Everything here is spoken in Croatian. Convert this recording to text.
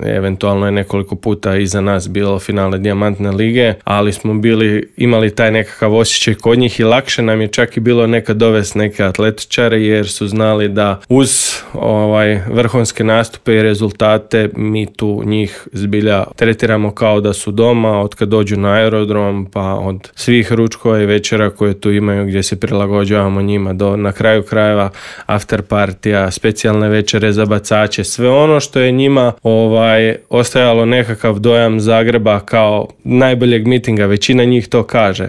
eventualno je nekoliko puta iza nas bilo finale Dijamantne lige, ali smo imali taj nekakav osjećaj kod njih i lakše nam je čak i bilo nekad dovesti neke atletičare jer su znali da uz vrhunske nastupe i rezultate mi tu njih zbilja tretiramo kao da su doma od kad dođu na aerodrom, pa od svih ručkova i večera koje tu imaju gdje se prilagođavamo njima do na kraju krajeva after partija, specijalne večere za bacače, sve ono što je njima ostajalo nekakav dojam Zagreba kao najboljeg mitinga, većina njih to kaže.